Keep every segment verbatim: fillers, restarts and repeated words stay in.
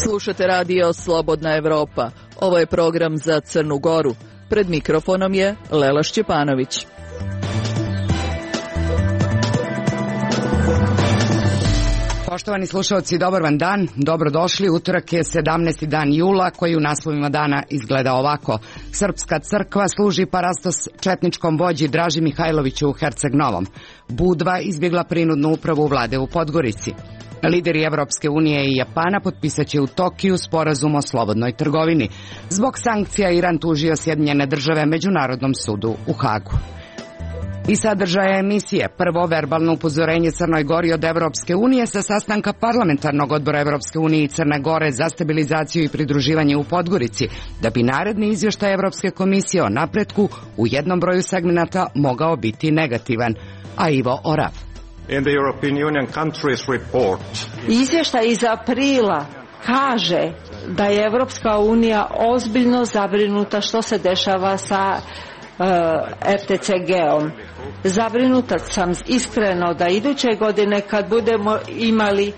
Slušate radio Slobodna Evropa. Ovo je program za Crnu Goru. Pred mikrofonom je Lela Šćepanović. Poštovani slušalci, dobar vam dan, dobrodošli. Utorak je sedamnaesti dan jula, koji u naslovima dana izgleda ovako. Srpska crkva služi parastos četničkom vođi Draži Mihajloviću u Herceg Novom. Budva izbjegla prinudnu upravu vlade u Podgorici. Lideri Evropske unije i Japana potpisat će u Tokiju sporazum o slobodnoj trgovini. Zbog sankcija Iran tužio Sjedinjene države Međunarodnom sudu u Hagu. I sadržaja emisije. Prvo, verbalno upozorenje Crnoj Gori od Evropske unije sa sastanka parlamentarnog odbora Evropske unije i Crne Gore za stabilizaciju i pridruživanje u Podgorici, da bi naredni izvještaj Evropske komisije o napretku u jednom broju segmenata mogao biti negativan. A Ivo Orav. In the European Union countries report. Izvještaj iz aprila kaže da je Evropska unija ozbiljno zabrinuta što se dešava sa uh, R T C G-om. Zabrinuta sam iskreno da iduće godine kad budemo imali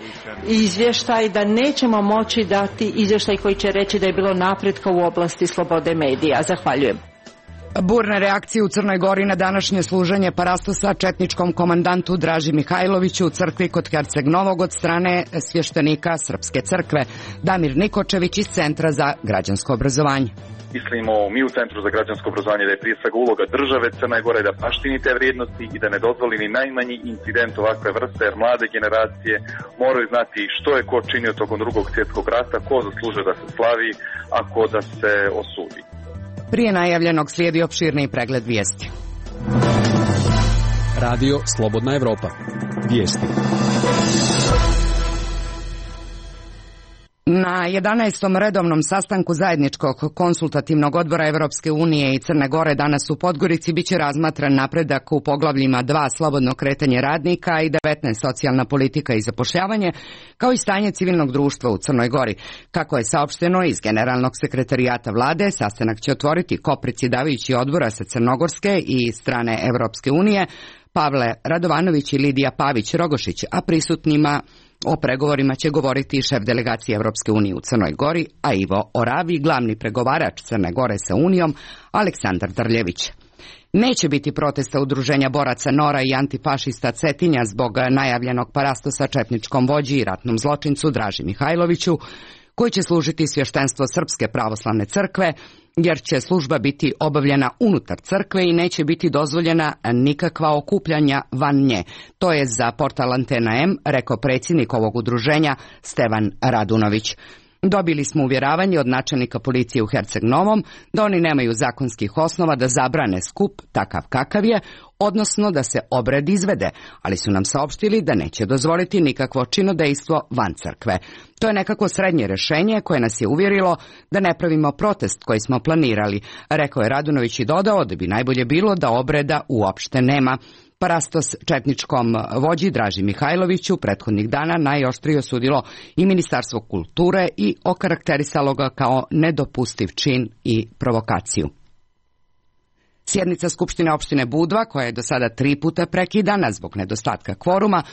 izvještaj da nećemo moći dati izvještaj koji će reći da je bilo napretka u oblasti slobode medija. Zahvaljujem. Burne reakcije u Crnoj Gori na današnje služenje parastosa četničkom komandantu Draži Mihajloviću u crkvi kod Herceg Novog od strane svještenika Srpske crkve. Damir Nikočević iz Centra za građansko obrazovanje. Mislimo mi u Centru za građansko obrazovanje da je prije svega uloga države Crne Gore da baštini te vrijednosti i da ne dozvoli ni najmanji incident ovakve vrste, jer mlade generacije moraju znati što je ko činio tokom drugog svjetskog rata, ko zaslužuje da se slavi, a ko da se osudi. Prije najavljenog slijedi opširni pregled vijesti. Radio Slobodna Evropa. Vijesti. Na jedanaestom redovnom sastanku zajedničkog konsultativnog odbora Evropske unije i Crne Gore danas u Podgorici biće razmatran napredak u poglavljima dva slobodno kretanje radnika i devetnaest socijalna politika i zapošljavanje, kao i stanje civilnog društva u Crnoj Gori. Kako je saopšteno iz Generalnog sekretarijata vlade, sastanak će otvoriti kopredsjedavajući odbora sa Crnogorske i strane Evropske unije Pavle Radovanović i Lidija Pavić-Rogošić, a prisutnima o pregovorima će govoriti šef delegacije Evropske unije u Crnoj Gori, a Ivo Oravi, glavni pregovarač Crne Gore sa Unijom, Aleksandar Drljević. Neće biti protesta udruženja boraca Nora i antifašista Cetinja zbog najavljenog parastosa četničkom vođi i ratnom zločincu Draži Mihajloviću, koji će služiti svještenstvo Srpske pravoslavne crkve, jer će služba biti obavljena unutar crkve i neće biti dozvoljena nikakva okupljanja van nje. To je za portal Antena M rekao predsjednik ovog udruženja Stevan Radunović. Dobili smo uvjeravanje od načelnika policije u Herceg Novom da oni nemaju zakonskih osnova da zabrane skup takav kakav je, odnosno da se obred izvede, ali su nam saopštili da neće dozvoliti nikakvo činodejstvo van crkve. To je nekako srednje rješenje koje nas je uvjerilo da ne pravimo protest koji smo planirali, rekao je Radunović i dodao da bi najbolje bilo da obreda uopšte nema. Parastos četničkom vođi Draži Mihajloviću prethodnih dana najoštrije osudilo i Ministarstvo kulture i okarakterisalo ga kao nedopustiv čin i provokaciju. Sjednica Skupštine opštine Budva, koja je do sada tri puta prekidana zbog nedostatka kvoruma,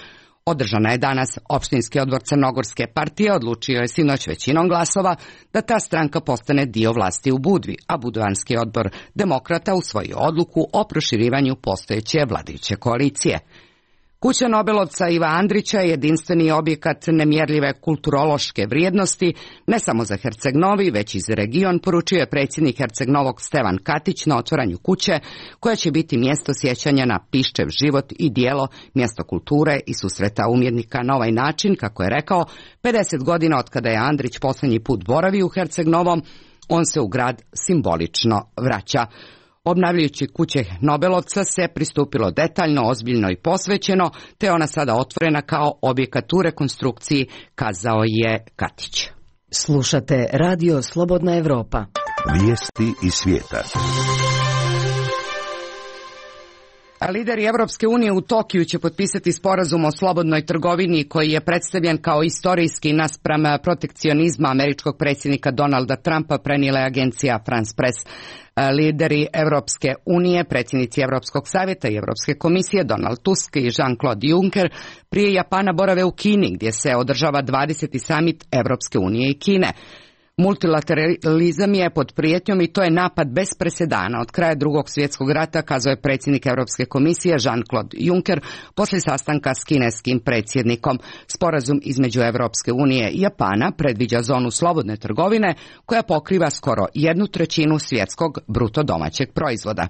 održana je danas. Opštinski odbor Crnogorske partije odlučio je sinoć većinom glasova da ta stranka postane dio vlasti u Budvi, a Budvanski odbor Demokrata usvojio odluku o proširivanju postojeće vladajuće koalicije. Kuća Nobelovca Iva Andrića je jedinstveni objekat nemjerljive kulturološke vrijednosti, ne samo za Herceg Novi, već i za region, poručio je predsjednik Herceg Novog Stevan Katić na otvaranju kuće, koja će biti mjesto sjećanja na Piščev život i djelo, mjesto kulture i susreta umjetnika. Na ovaj način, kako je rekao, pedeset godina od kada je Andrić posljednji put boravio u Herceg Novom, on se u grad simbolično vraća. Obnavljajući kuće Nobelovca se pristupilo detaljno, ozbiljno i posvećeno, te ona sada otvorena kao objekat u rekonstrukciji, kazao je Katić. Slušate Radio Slobodna Evropa. Vijesti iz svijeta. Lideri Evropske unije u Tokiju će potpisati sporazum o slobodnoj trgovini koji je predstavljen kao istorijski naspram protekcionizma američkog predsjednika Donalda Trumpa, prenijela je agencija France Press. Lideri Evropske unije, predsjednici Evropskog savjeta i Evropske komisije Donald Tusk i Jean-Claude Juncker prije Japana borave u Kini gdje se održava dvadeseti samit Evropske unije i Kine. Multilateralizam je pod prijetnjom i to je napad bez presedana od kraja drugog svjetskog rata, kazao je predsjednik Europske komisije Jean-Claude Juncker poslije sastanka s kineskim predsjednikom. Sporazum između Europske unije i Japana predviđa zonu slobodne trgovine koja pokriva skoro jednu trećinu svjetskog bruto domaćeg proizvoda.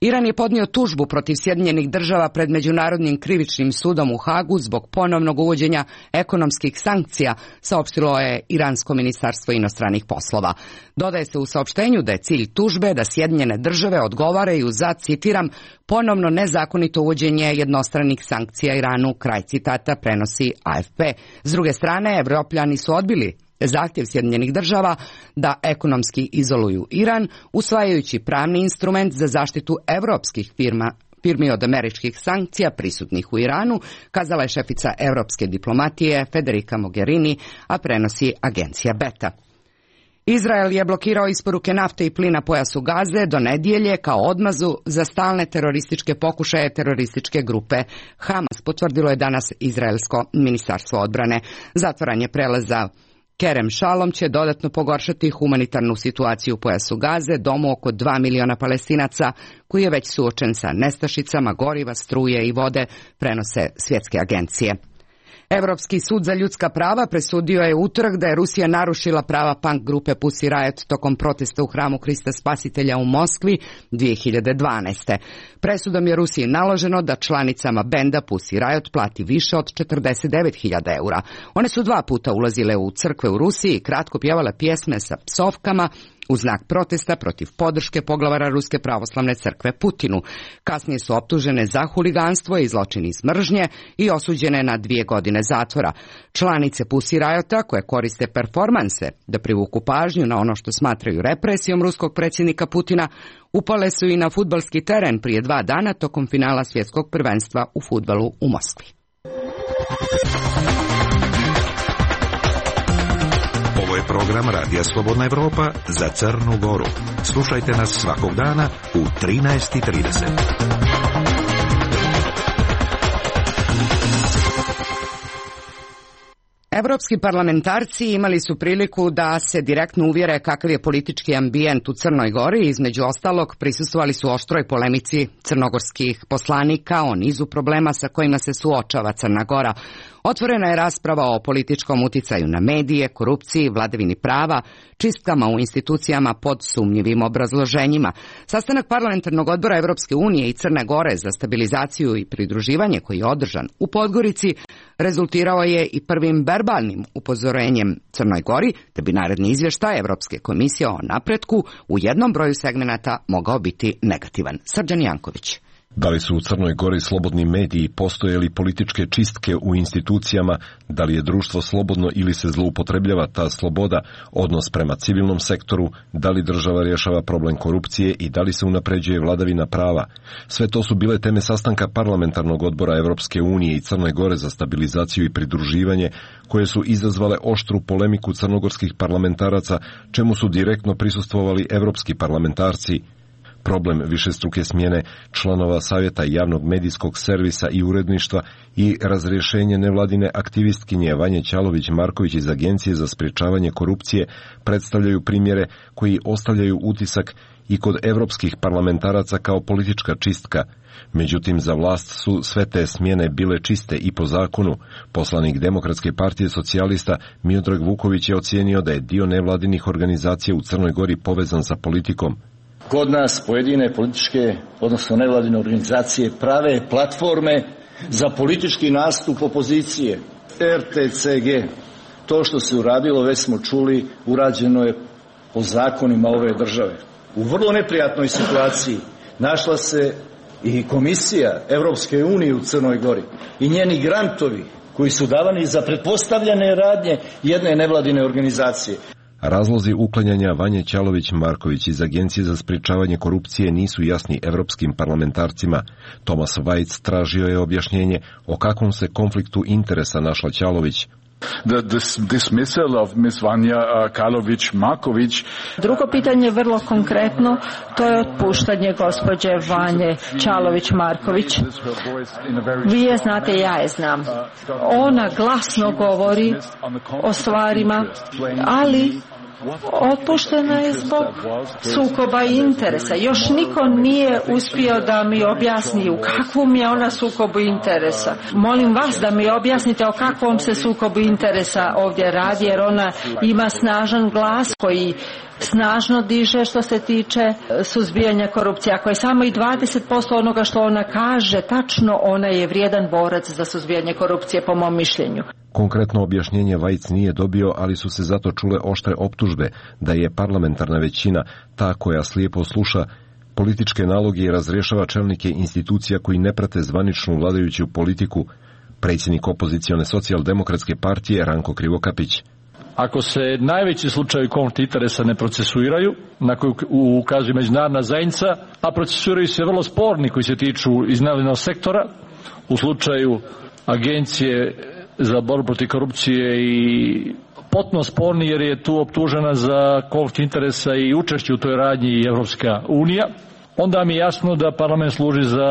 Iran je podnio tužbu protiv Sjedinjenih država pred Međunarodnim krivičnim sudom u Hagu zbog ponovnog uvođenja ekonomskih sankcija, saopštilo je Iransko ministarstvo inostranih poslova. Dodaje se u saopštenju da je cilj tužbe da Sjedinjene države odgovaraju za, citiram, ponovno nezakonito uvođenje jednostranih sankcija Iranu, kraj citata, prenosi A F P. S druge strane, Evropljani su odbili zahtjev Sjedinjenih država da ekonomski izoluju Iran, usvajajući pravni instrument za zaštitu evropskih firma, firmi od američkih sankcija prisutnih u Iranu, kazala je šefica europske diplomatije Federica Mogherini, a prenosi agencija Beta. Izrael je blokirao isporuke nafte i plina pojasu Gaze do nedjelje kao odmazu za stalne terorističke pokušaje terorističke grupe Hamas, potvrdilo je danas Izraelsko ministarstvo odbrane. Zatvaranje prelaza Kerem Šalom će dodatno pogoršati humanitarnu situaciju u pojasu Gaze, domu oko dva miliona Palestinaca koji je već suočen sa nestašicama goriva, struje i vode, prenose svjetske agencije. Europski sud za ljudska prava presudio je utorak da je Rusija narušila prava punk grupe Pussy Riot tokom protesta u hramu Krista Spasitelja u Moskvi dvije hiljade dvanaeste. Presudom je Rusiji naloženo da članicama benda Pussy Riot plati više od četrdeset devet hiljada eura. One su dva puta ulazile u crkve u Rusiji i kratko pjevale pjesme sa psovkama u znak protesta protiv podrške poglavara Ruske pravoslavne crkve Putinu. Kasnije su optužene za huliganstvo i zločin iz mržnje i osuđene na dvije godine zatvora. Članice Pussy Riota, koje koriste performanse da privuku pažnju na ono što smatraju represijom ruskog predsjednika Putina, upale su i na fudbalski teren prije dva dana tokom finala svjetskog prvenstva u fudbalu u Moskvi. Ovo je program Radija Slobodna Evropa za Crnu Goru. Slušajte nas svakog dana u trinaest i trideset. Evropski parlamentarci imali su priliku da se direktno uvjere kakav je politički ambijent u Crnoj Gori. Između ostalog, prisustvovali su oštroj polemici crnogorskih poslanika o nizu problema sa kojima se suočava Crna Gora. Otvorena je rasprava o političkom uticaju na medije, korupciji, vladavini prava, čistkama u institucijama pod sumnjivim obrazloženjima. Sastanak parlamentarnog odbora Evropske unije i Crne Gore za stabilizaciju i pridruživanje koji je održan u Podgorici rezultirao je i prvim verbalnim upozorenjem Crnoj Gori, te bi naredni izvještaj Evropske komisije o napretku u jednom broju segmenata mogao biti negativan. Srđan Janković. Da li su u Crnoj Gori slobodni mediji, postoje li političke čistke u institucijama, da li je društvo slobodno ili se zloupotrebljava ta sloboda, odnos prema civilnom sektoru, da li država rješava problem korupcije i da li se unapređuje vladavina prava. Sve to su bile teme sastanka parlamentarnog odbora Evropske unije i Crne Gore za stabilizaciju i pridruživanje, koje su izazvale oštru polemiku crnogorskih parlamentaraca, čemu su direktno prisustvovali evropski parlamentarci. Problem višestruke smjene članova Savjeta javnog medijskog servisa i uredništva i razrješenje nevladine aktivistkinje Vanje Ćalović-Marković iz Agencije za sprječavanje korupcije predstavljaju primjere koji ostavljaju utisak i kod evropskih parlamentaraca kao politička čistka. Međutim, za vlast su sve te smjene bile čiste i po zakonu. Poslanik Demokratske partije socijalista Miodrag Vuković je ocijenio da je dio nevladinih organizacija u Crnoj Gori povezan sa politikom. Kod nas pojedine političke, odnosno nevladine organizacije prave platforme za politički nastup opozicije. R T C G, to što se uradilo, već smo čuli, urađeno je po zakonima ove države. U vrlo neprijatnoj situaciji našla se i Komisija Evropske unije u Crnoj Gori i njeni grantovi koji su davani za pretpostavljene radnje jedne nevladine organizacije. Razlozi uklanjanja Vanje Ćalović-Marković iz Agencije za sprječavanje korupcije nisu jasni evropskim parlamentarcima. Tomas Vajc tražio je objašnjenje o kakvom se konfliktu interesa našla Ćalović. The dismissal of Miss Vanja Ćalović-Marković. Drugo pitanje je vrlo konkretno, to je otpuštanje gospođe Vanje Ćalović-Marković. Vi je znate, ja je znam. Ona glasno govori o stvarima, ali otpuštena je zbog sukoba interesa. Još niko nije uspio da mi objasni u kakvom je ona sukobu interesa. Molim vas da mi objasnite o kakvom se sukobu interesa ovdje radi, jer ona ima snažan glas koji snažno diže što se tiče suzbijanja korupcije. Ako je samo i dvadeset posto onoga što ona kaže tačno, ona je vrijedan borac za suzbijanje korupcije po mom mišljenju. Konkretno objašnjenje Vajc nije dobio, ali su se zato čule oštre optužbe da je parlamentarna većina ta koja slijepo sluša političke naloge i razrješava čelnike institucija koji ne prate zvaničnu vladajuću politiku. Predsjednik opozicione socijaldemokratske partije Ranko Krivokapić. Ako se najveći slučajevi konflikta interesa ne procesuiraju, na koju ukazuje međunarodna zajednica, a procesuiraju se vrlo sporni koji se tiču iznajmljenog sektora, u slučaju Agencije za borbu protiv korupcije i potpuno sporni jer je tu optužena za konflikt interesa i učešće u toj radnji i Evropska unija, onda mi je jasno da parlament služi za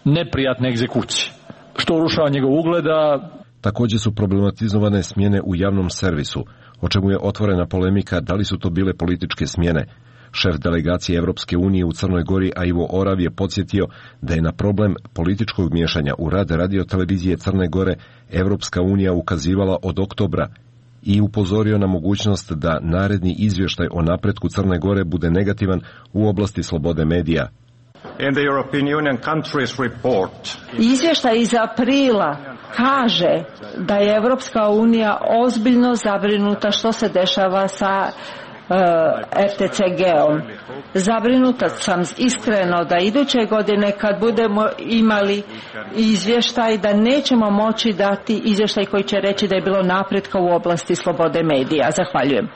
neprijatne egzekucije, što urušava njegov ugleda. Također su problematizovane smjene u javnom servisu, o čemu je otvorena polemika da li su to bile političke smjene. Šef delegacije Evropske unije u Crnoj Gori, a Ivo Orav, je podsjetio da je na problem političkog miješanja u rad radiotelevizije Crne Gore Evropska unija ukazivala od oktobra i upozorio na mogućnost da naredni izvještaj o napretku Crne Gore bude negativan u oblasti slobode medija. In the European Union countries report. Izvještaj iz aprila kaže da je Evropska unija ozbiljno zabrinuta što se dešava sa R T C G-om. Zabrinuta sam iskreno da iduće godine kad budemo imali izvještaj da nećemo moći dati izvještaj koji će reći da je bilo napretka u oblasti slobode medija. Zahvaljujem.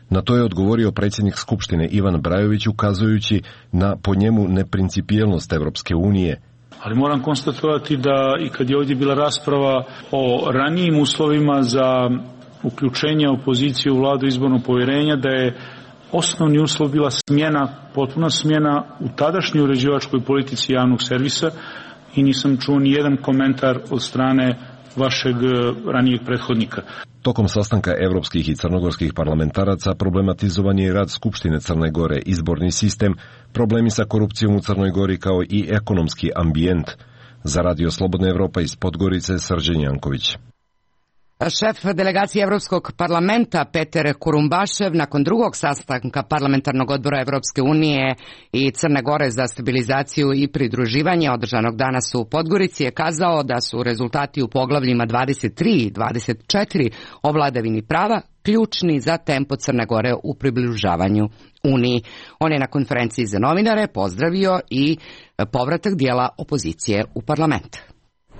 Na to je odgovorio predsjednik Skupštine Ivan Brajović ukazujući na po njemu neprincipijelnost Evropske unije. Ali moram konstatovati da i kad je ovdje bila rasprava o ranijim uslovima za uključenje opozicije u vladu izbornog povjerenja, da je osnovni uslov bila smjena, potpuna smjena u tadašnjoj uređivačkoj politici javnog servisa i nisam čuo ni jedan komentar od strane vašeg ranijeg prethodnika. Tokom sastanka evropskih i crnogorskih parlamentaraca problematizovan je rad Skupštine Crne Gore, izborni sistem, problemi sa korupcijom u Crnoj Gori kao i ekonomski ambijent. Za Radio Slobodna Evropa iz Podgorice, Srđan Janković. Šef delegacije Evropskog parlamenta Peter Kurumbašev nakon drugog sastanka parlamentarnog odbora Evropske unije i Crne Gore za stabilizaciju i pridruživanje održanog danas u Podgorici je kazao da su rezultati u poglavljima dvadeset tri i dvadeset četiri o vladavini prava ključni za tempo Crne Gore u približavanju Uniji. On je na konferenciji za novinare pozdravio i povratak dijela opozicije u parlament.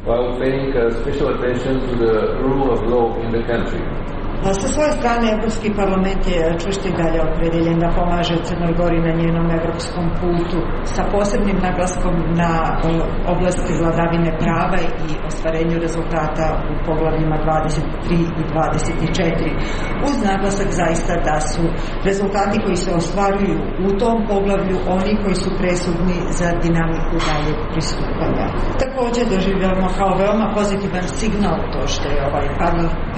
While paying special attention to the rule of law in the country. Sa svoje strane, Evropski parlament je čvrsto i dalje opredeljen da pomaže Crnoj Gori na njenom evropskom putu sa posebnim naglaskom na oblasti vladavine prava i ostvarenju rezultata u poglavljima dvadeset tri i dvadeset četiri. Uz naglasak zaista da su rezultati koji se ostvaruju u tom poglavlju oni koji su presudni za dinamiku dalje pristupanja. Također doživljavamo kao veoma pozitivan signal to što je ovaj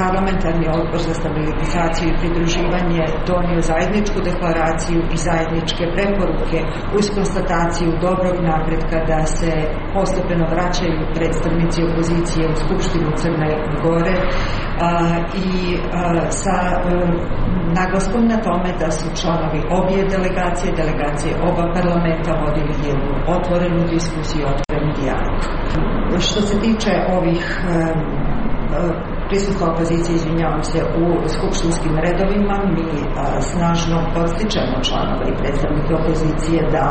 parlamentarni odbor za stabilizaciju i pridruživanje donio zajedničku deklaraciju i zajedničke preporuke uz konstataciju dobrog napretka da se postepeno vraćaju predstavnici opozicije u Skupštinu Crne Gore a, i a, sa a, naglaskom na tome da su članovi obje delegacije, delegacije oba parlamenta vodili jednu otvorenu diskusiju, otvoren dijalog. Što se tiče ovih a, a, prisustvo opozicije, izvinjavam se, u skupštinskim redovima. Mi a, snažno podstičemo članove i predstavnike opozicije da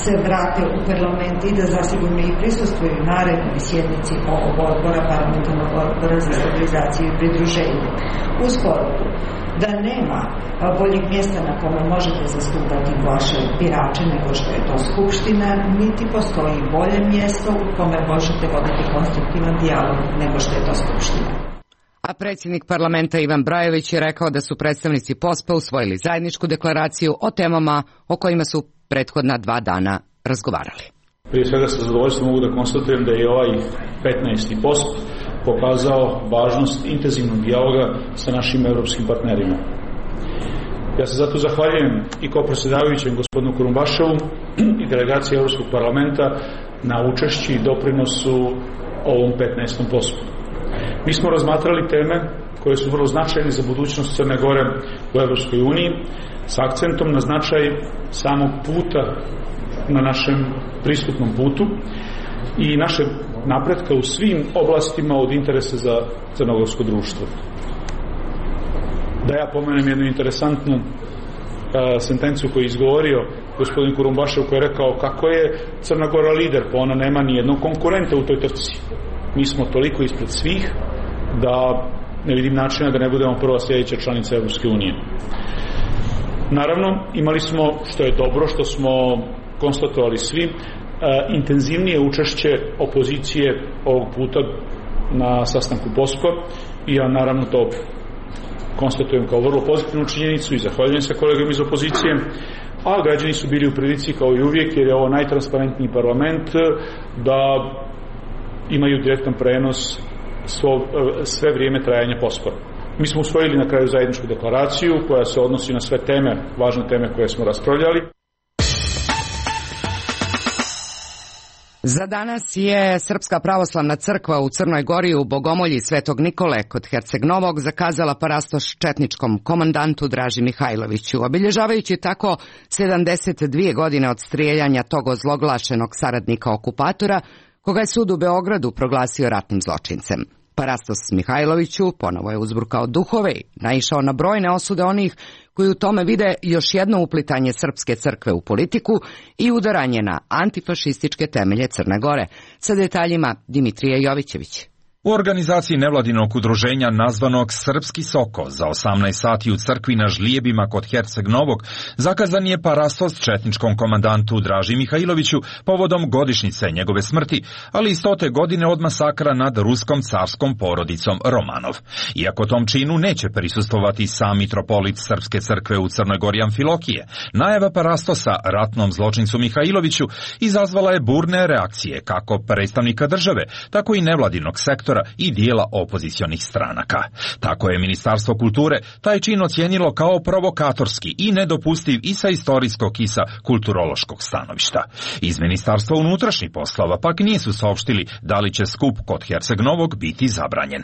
se vrate u parlament i da zasigurno i prisustvuju narednoj sjednici ovog odbora, parlamentarnog odbora za stabilizaciju i pridruženje. Uz poruku da nema boljeg mjesta na kome možete zastupati vaše birače nego što je to Skupština, niti postoji bolje mjesto u kome možete voditi konstruktivan dijalog nego što je to Skupština. A predsjednik parlamenta Ivan Brajović je rekao da su predstavnici P O S P-a usvojili zajedničku deklaraciju o temama o kojima su prethodna dva dana razgovarali. Prije svega sa zadovoljstvom mogu da konstatujem da je ovaj petnaesti post pokazao važnost intenzivnog dijaloga sa našim evropskim partnerima. Ja se zato zahvaljujem i kao predsjedavajućem gospodinu Kurumbaševu i delegaciji Evropskog parlamenta na učešći i doprinosu ovom petnaestom postu. Mi smo razmatrali teme koje su vrlo značajne za budućnost Crne Gore u Evropskoj uniji s akcentom na značaj samog puta na našem pristupnom putu i naše napretka u svim oblastima od interesa za crnogorsko društvo. Da ja pomenem jednu interesantnu uh, sentenciju koju je izgovorio gospodin Kurumbašev, koji je rekao kako je Crna Gora lider, pa ona nema ni jednog konkurenta u toj trci. Mi smo toliko ispred svih da ne vidim načina da ne budemo prva sljedeća članica Evropske unije. Naravno, imali smo, što je dobro, što smo konstatovali svi, intenzivnije učešće opozicije ovog puta na sastanku P O S P-a i ja naravno to konstatujem kao vrlo pozitivnu činjenicu i zahvaljujem se kolegama iz opozicije, a građani su bili u prilici kao i uvijek, jer je ovo najtransparentniji parlament, da imaju direktan prenos svo, sve vrijeme trajanja P O S P-a. Mi smo usvojili na kraju zajedničku deklaraciju koja se odnosi na sve teme, važne teme koje smo raspravljali. Za danas je Srpska pravoslavna crkva u Crnoj Gori u Bogomolji Svetog Nikole kod Herceg Novog zakazala parastoš četničkom komandantu Draži Mihajloviću, obilježavajući tako sedamdeset dvije godine od strijeljanja tog ozloglašenog saradnika okupatora, koga je sud u Beogradu proglasio ratnim zločincem. Parastos Mihajloviću ponovo je uzburkao duhove i naišao na brojne osude onih koji u tome vide još jedno uplitanje srpske crkve u politiku i udaranje na antifašističke temelje Crne Gore. Sa detaljima Dimitrije Jovićević. U organizaciji nevladinog udruženja nazvanog Srpski Soko za osamnaest sati u crkvi na Žlijebima kod Herceg Novog zakazan je parastos četničkom komandantu Draži Mihajloviću povodom godišnjice njegove smrti, ali i stote godine od masakra nad ruskom carskom porodicom Romanov. Iako tom činu neće prisustvovati sam mitropolit Srpske crkve u Crnoj Gori Amfilokije, najava parastosa ratnom zločincu Mihajloviću izazvala je burne reakcije kako predstavnika države, tako i nevladinog sektora i dijela opozicionih stranaka. Tako je Ministarstvo kulture taj čin ocijenilo kao provokatorski i nedopustiv i sa istorijskog i sa kulturološkog stanovišta. Iz Ministarstva unutrašnjih poslova pak nisu saopštili da li će skup kod Herceg Novog biti zabranjen.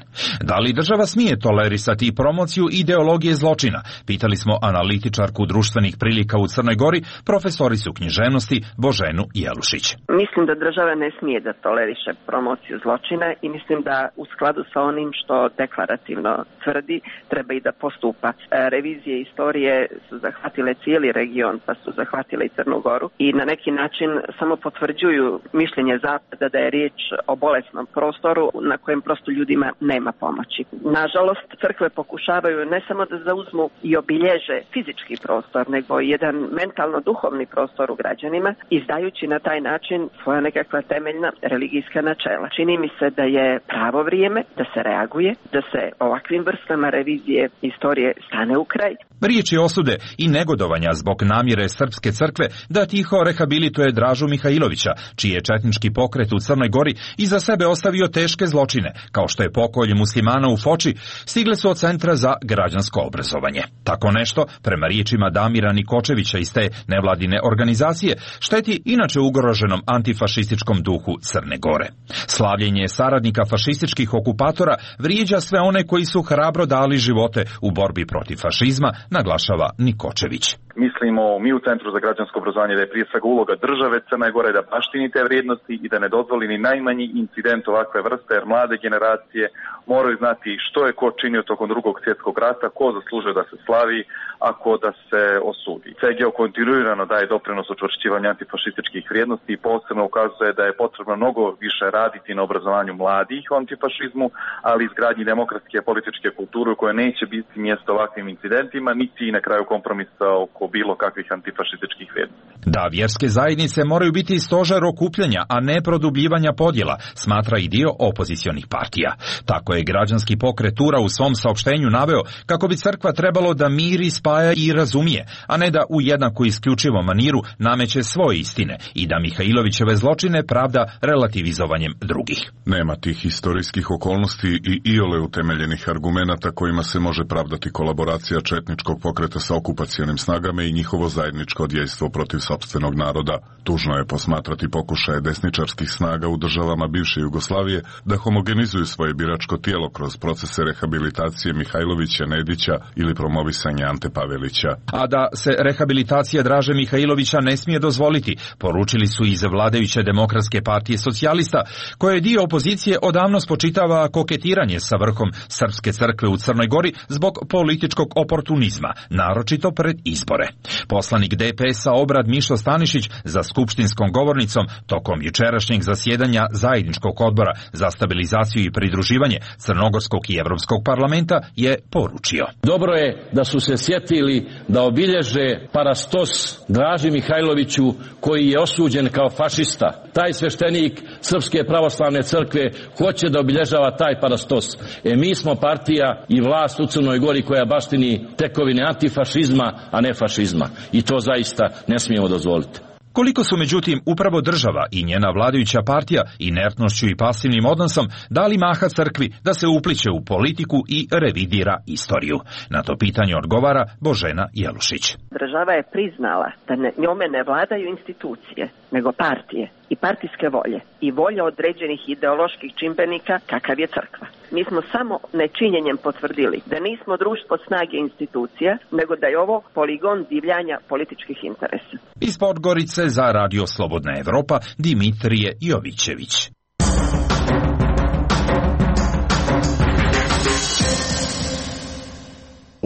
Da li država smije tolerisati promociju ideologije zločina? Pitali smo analitičarku društvenih prilika u Crnoj Gori, profesoricu književnosti Boženu Jelušić. Mislim da država ne smije da toleriše promociju zločina i mislim da u skladu sa onim što deklarativno tvrdi treba i da postupa. Revizije istorije su zahvatile cijeli region, pa su zahvatile i Crnu Goru i na neki način samo potvrđuju mišljenje Zapada da je riječ o bolesnom prostoru na kojem prosto ljudima nema pomoći. Nažalost, crkve pokušavaju ne samo da zauzmu i obilježe fizički prostor, nego i jedan mentalno-duhovni prostor u građanima, izdajući na taj način svoja nekakva temeljna religijska načela. Čini mi se da je pravo vrijeme da se reaguje, da se ovakvim vrstama revizije istorije stane u kraj. Riječi osude i negodovanja zbog namjere Srpske crkve da tiho rehabilituje Dražu Mihajlovića, čiji je četnički pokret u Crnoj Gori iza sebe ostavio teške zločine, kao što je pokolj muslimana u Foči, stigle su od Centra za građansko obrazovanje. Tako nešto, prema riječima Damira Nikočevića iz te nevladine organizacije, šteti inače ugroženom antifašističkom duhu Crne Gore. Slavljenje saradnika fašističkih okupatora vrijeđa sve one koji su hrabro dali živote u borbi protiv fašizma, naglašava Nikočević. Mislimo mi u Centru za građansko obrazovanje da je prije svega uloga države Crne Gore da baštini te vrijednosti i da ne dozvoli ni najmanji incident ovakve vrste, jer mlade generacije moraju znati što je ko činio tokom drugog svjetskog rata, ko zaslužuje da se slavi, a ko da se osudi. C G O kontinuirano daje doprinos učvršćivanju antifašističkih vrijednosti i posebno ukazuje da je potrebno mnogo više raditi na obrazovanju mladih o antifašizmu, ali i izgradnji demokratske političke kulture u kojoj neće biti mjesto ovakvim incidentima, niti na kraju kompromisa oko bilo kakvih antifašističkih vrijednosti. Da vjerske zajednice moraju biti stožer okupljanja, a ne produbljivanja podjela, smatra i dio opozicionih partija. Tako je građanski pokret Tura u svom saopštenju naveo kako bi crkva trebalo da miri, spaja i razumije, a ne da u jednako isključivom maniru nameće svoje istine i da Mihajlovićeve zločine pravda relativizovanjem drugih. Nema tih historijskih okolnosti i iole utemeljenih argumenata kojima se može pravdati kolaboracija četničkog pokreta sa okupacionim snagama i njihovo zajedničko djejstvo protiv sopstvenog naroda. Tužno je posmatrati pokušaje desničarskih snaga u državama bivše Jugoslavije da homogenizuju svoje biračko tijelo kroz procese rehabilitacije Mihajlovića, Nedića ili promovisanja Ante Pavelića. A da se rehabilitacija Draže Mihajlovića ne smije dozvoliti, poručili su iz vladajuće Demokratske partije socijalista, koje dio opozicije odavno spočitava koketiranje sa vrhom Srpske crkve u Crnoj Gori zbog političkog oportunizma, naročito pred izbore. Poslanik D P S-a Obrad Mišo Stanišić za skupštinskom govornicom tokom jučerašnjeg zasjedanja Zajedničkog odbora za stabilizaciju i pridruživanje Crnogorskog i Evropskog parlamenta je poručio. Dobro je da su se sjetili da obilježe parastos Draži Mihajloviću koji je osuđen kao fašista. Taj sveštenik Srpske pravoslavne crkve hoće da obilježava taj parastos. E mi smo partija i vlast u Crnoj Gori koja baštini tekovine antifašizma, a ne fašizma. I to zaista ne smijemo dozvoliti. Koliko su međutim upravo država i njena vladajuća partija inertnošću i pasivnim odnosom dali maha crkvi da se upliće u politiku i revidira istoriju? Na to pitanje odgovara Božena Jelušić. Država je priznala da ne, njome ne vladaju institucije, nego partije i partijske volje i volje određenih ideoloških čimbenika kakav je crkva. Mi smo samo nečinjenjem potvrdili da nismo društvo snage institucija, nego da je ovo poligon divljanja političkih interesa. Iz Podgorice za Radio Slobodna Evropa Dimitrije Jovićević.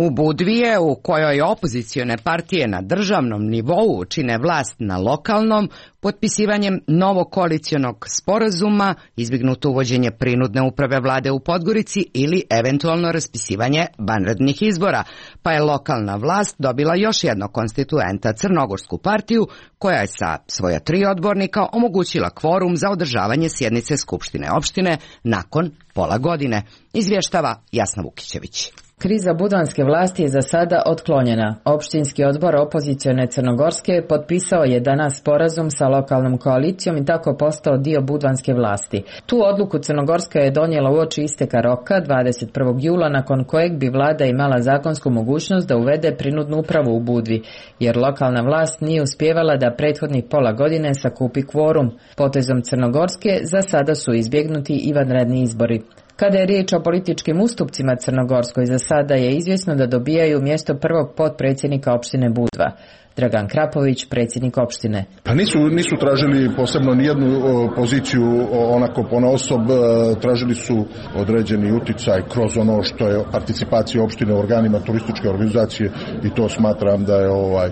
U Budvije, u kojoj opozicione partije na državnom nivou čine vlast na lokalnom, potpisivanjem novog koalicionog sporazuma, izbignuto uvođenje prinudne uprave vlade u Podgorici ili eventualno raspisivanje vanrednih izbora, pa je lokalna vlast dobila još jednog konstituenta, Crnogorsku partiju, koja je sa svoja tri odbornika omogućila kvorum za održavanje sjednice Skupštine opštine nakon pola godine, izvještava Jasna Vukićević. Kriza budvanske vlasti je za sada otklonjena. Opštinski odbor opozicione Crnogorske potpisao je danas sporazum sa lokalnom koalicijom i tako postao dio budvanske vlasti. Tu odluku Crnogorska je donijela uoči isteka roka dvadeset prvog jula, nakon kojeg bi vlada imala zakonsku mogućnost da uvede prinudnu upravu u Budvi, jer lokalna vlast nije uspjevala da prethodnih pola godine sakupi kvorum. Potezom Crnogorske za sada su izbjegnuti i vanredni izbori. Kada je riječ o političkim ustupcima Crnogorskoj, za sada je izvjesno da dobijaju mjesto prvog potpredsjednika opštine Budva. Dragan Krapović, predsjednik opštine. Pa nisu, nisu tražili posebno nijednu o, poziciju o, onako ponaosob, tražili su određeni uticaj kroz ono što je participacija opštine u organima turističke organizacije i to smatram da je ovaj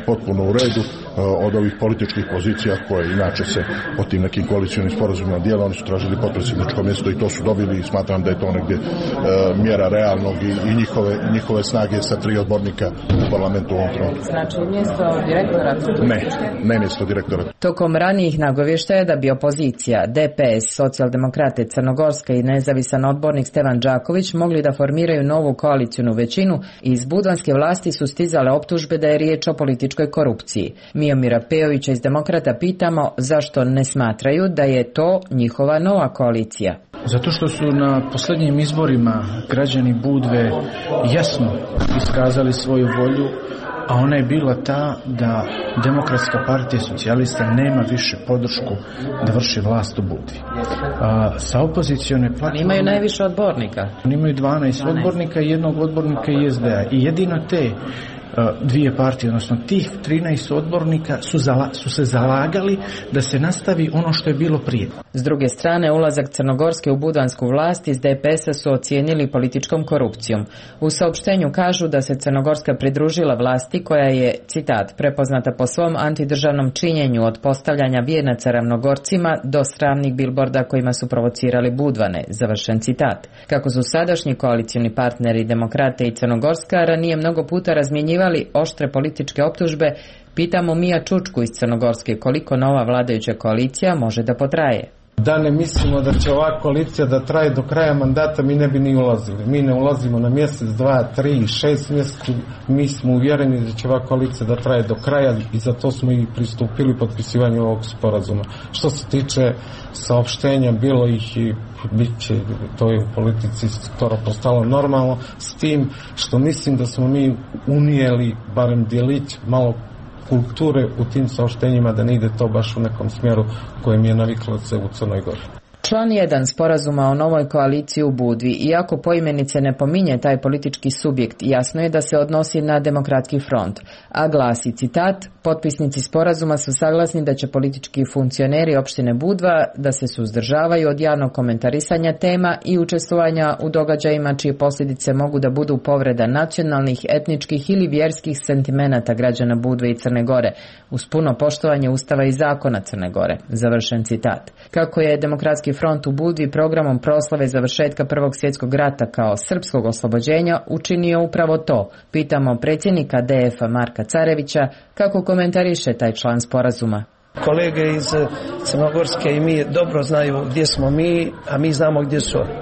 potpuno u redu od ovih političkih pozicija koje inače se po tim nekim koalicionim sporazumima dijela. Oni su tražili potpredsjedničko mjesto i to su dobili i smatram da je to negdje mjera realnog i, i njihove, njihove snage sa tri odbornika u parlamentu u ovom trenutku. Znači mjesto direktora? Ne, ne mjesto direktora. Tokom ranijih nagovještaja da bi opozicija, D P S, Socijaldemokrate Crnogorska i nezavisan odbornik Stevan Đaković mogli da formiraju novu koalicijnu većinu, iz budvanske vlasti su stizale optužbe da je riječ o političkoj korupciji. Miomira Pejovića iz Demokrata pitamo zašto ne smatraju da je to njihova nova koalicija. Zato što su na posljednjim izborima građani Budve jasno iskazali svoju volju, a ona je bila ta da Demokratska partija socijalista nema više podršku da vrši vlast u Budvi. A, sa opozicione platforme... Oni imaju najviše odbornika. Oni imaju dvanaest odbornika i jednog odbornika i S D A. I jedino te dvije partije, odnosno tih trinaest odbornika su, zala, su se zalagali da se nastavi ono što je bilo prije. S druge strane, ulazak Crnogorske u budvansku vlast iz D P S-a su ocijenili političkom korupcijom. U saopštenju kažu da se Crnogorska pridružila vlasti koja je, citat, prepoznata po svom antidržavnom činjenju od postavljanja vijenaca ravnogorcima do sramnih bilborda kojima su provocirali Budvane, završen citat. Kako su sadašnji koalicioni partneri Demokrate i Crnogorska ranije mnogo puta razmjenjivali oštre političke optužbe, pitamo Mija Čučku iz Crnogorske koliko nova vladajuća koalicija može da potraje. Da ne mislimo da će ova koalicija da traje do kraja mandata, mi ne bi ni ulazili. Mi ne ulazimo na mjesec, dva, tri, šest mjeseci. Mi smo uvjereni da će ova koalicija da traje do kraja i zato smo i pristupili potpisivanju ovog sporazuma. Što se tiče saopštenja, bilo ih i bit će, to je u politici skoro postalo normalno, s tim što mislim da smo mi unijeli barem djelić malo kulture u tim saopštenjima, da ne ide to baš u nekom smjeru kojem je naviklo se u Crnoj Gori. Član jedan sporazuma o novoj koaliciji u Budvi, iako poimenice ne pominje taj politički subjekt, jasno je da se odnosi na Demokratski front, a glasi, citat, potpisnici sporazuma su saglasni da će politički funkcioneri opštine Budva da se suzdržavaju od javnog komentarisanja tema i učestvovanja u događajima čije posljedice mogu da budu povreda nacionalnih, etničkih ili vjerskih sentimenata građana Budve i Crne Gore, uz puno poštovanje Ustava i zakona Crne Gore, završen citat. Kako je Demokratski front u Budvi programom proslave završetka Prvog svjetskog rata kao srpskog oslobođenja učinio upravo to, pitamo predsjednika D F-a Marka Carevića kako komentariše taj član sporazuma. Kolege iz Crnogorske i mi dobro znaju gdje smo mi, a mi znamo gdje su oni.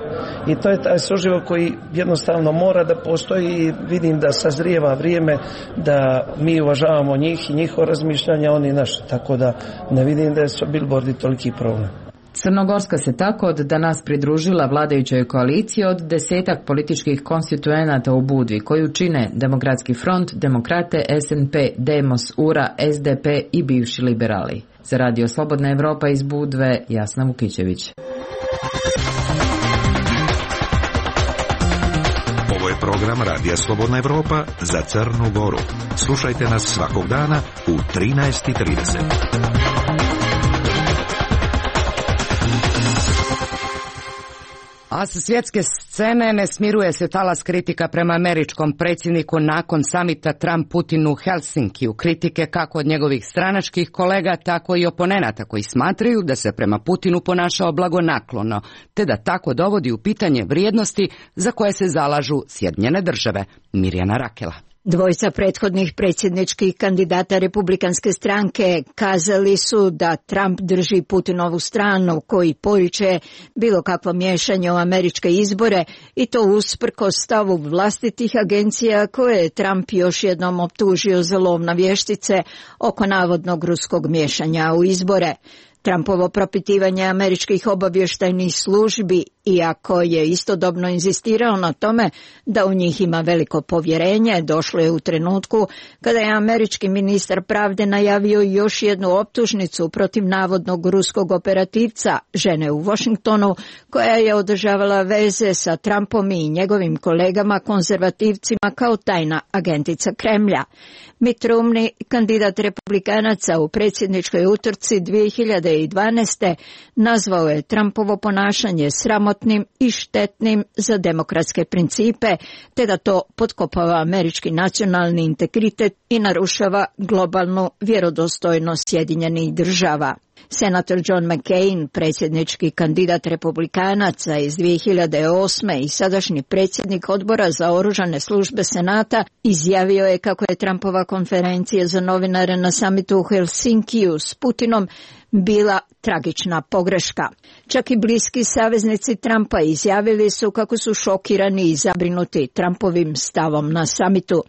I to je taj suživot koji jednostavno mora da postoji i vidim da sazrijeva vrijeme da mi uvažavamo njih i njihovo razmišljanje, oni naše. Tako da ne vidim da su bilbordi toliki problem. Crnogorska se tako od danas pridružila vladajućoj koaliciji od desetak političkih konstituenata u Budvi, koju čine Demokratski front, Demokrate, S N P, Demos, U R A, S D P i bivši liberali. Za Radio Slobodna Evropa iz Budve, Jasna Vukićević. Ovo je program Radija Slobodna Evropa za Crnu Goru. Slušajte nas svakog dana u trinaest i trideset. A sa svjetske scene ne smiruje se talas kritika prema američkom predsjedniku nakon samita Trump-Putin u Helsinkiju. Kritike kako od njegovih stranačkih kolega, tako i oponenata koji smatraju da se prema Putinu ponašao blagonaklono, te da tako dovodi u pitanje vrijednosti za koje se zalažu Sjedinjene države. Mirjana Rakela. Dvojica prethodnih predsjedničkih kandidata republikanske stranke kazali su da Trump drži Putinovu stranu koji poriče bilo kakvo miješanje u američke izbore i to usprkos stavu vlastitih agencija koje je Trump još jednom optužio za lov na vještice oko navodnog ruskog miješanja u izbore. Trumpovo propitivanje američkih obavještajnih službi, iako je istodobno inzistirao na tome da u njih ima veliko povjerenje, došlo je u trenutku kada je američki ministar pravde najavio još jednu optužnicu protiv navodnog ruskog operativca, žene u Washingtonu, koja je održavala veze sa Trumpom i njegovim kolegama konzervativcima kao tajna agentica Kremlja. Mitt Romney, kandidat republikanaca u predsjedničkoj utrci dvije hiljade dvanaeste. nazvao je Trumpovo ponašanje sramotnim i štetnim za demokratske principe, te da to potkopava američki nacionalni integritet i narušava globalnu vjerodostojnost Sjedinjenih država. Senator John McCain, predsjednički kandidat republikanaca iz dvije hiljade osme. i sadašnji predsjednik odbora za oružane službe Senata, izjavio je kako je Trumpova konferencija za novinare na samitu u Helsinkiju s Putinom bila tragična pogreška. Čak i bliski saveznici Trumpa izjavili su kako su šokirani i zabrinuti Trumpovim stavom na samitu.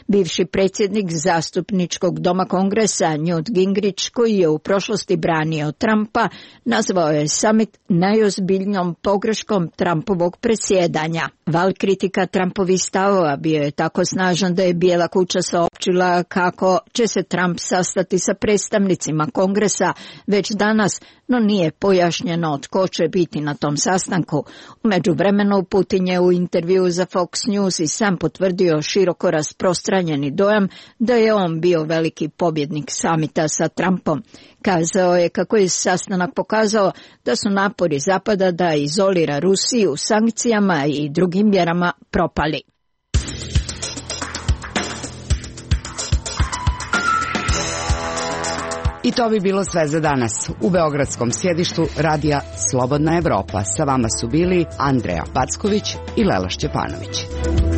Bivši predsjednik zastupničkog doma Kongresa Newt Gingrich, koji je u prošlosti branio branio Trumpa, nazvao je summit najozbiljnijom pogreškom Trumpovog predsjedanja. Val kritika Trumpovih stavova bio je tako snažan da je Bijela kuća saopćila kako će se Trump sastati sa predstavnicima Kongresa već danas, no nije pojašnjeno tko će biti na tom sastanku. U međuvremenu Putin je u intervjuu za Fox News i sam potvrdio široko rasprostranjeni dojam da je on bio veliki pobjednik samita sa Trumpom. Kazao je kako je sastanak pokazao da su napori Zapada da izolira Rusiju sankcijama i drugim mjerama propali. I to bi bilo sve za danas. U beogradskom sjedištu radija Slobodna Evropa sa vama su bili Andreja Packović i Lela Šćepanović.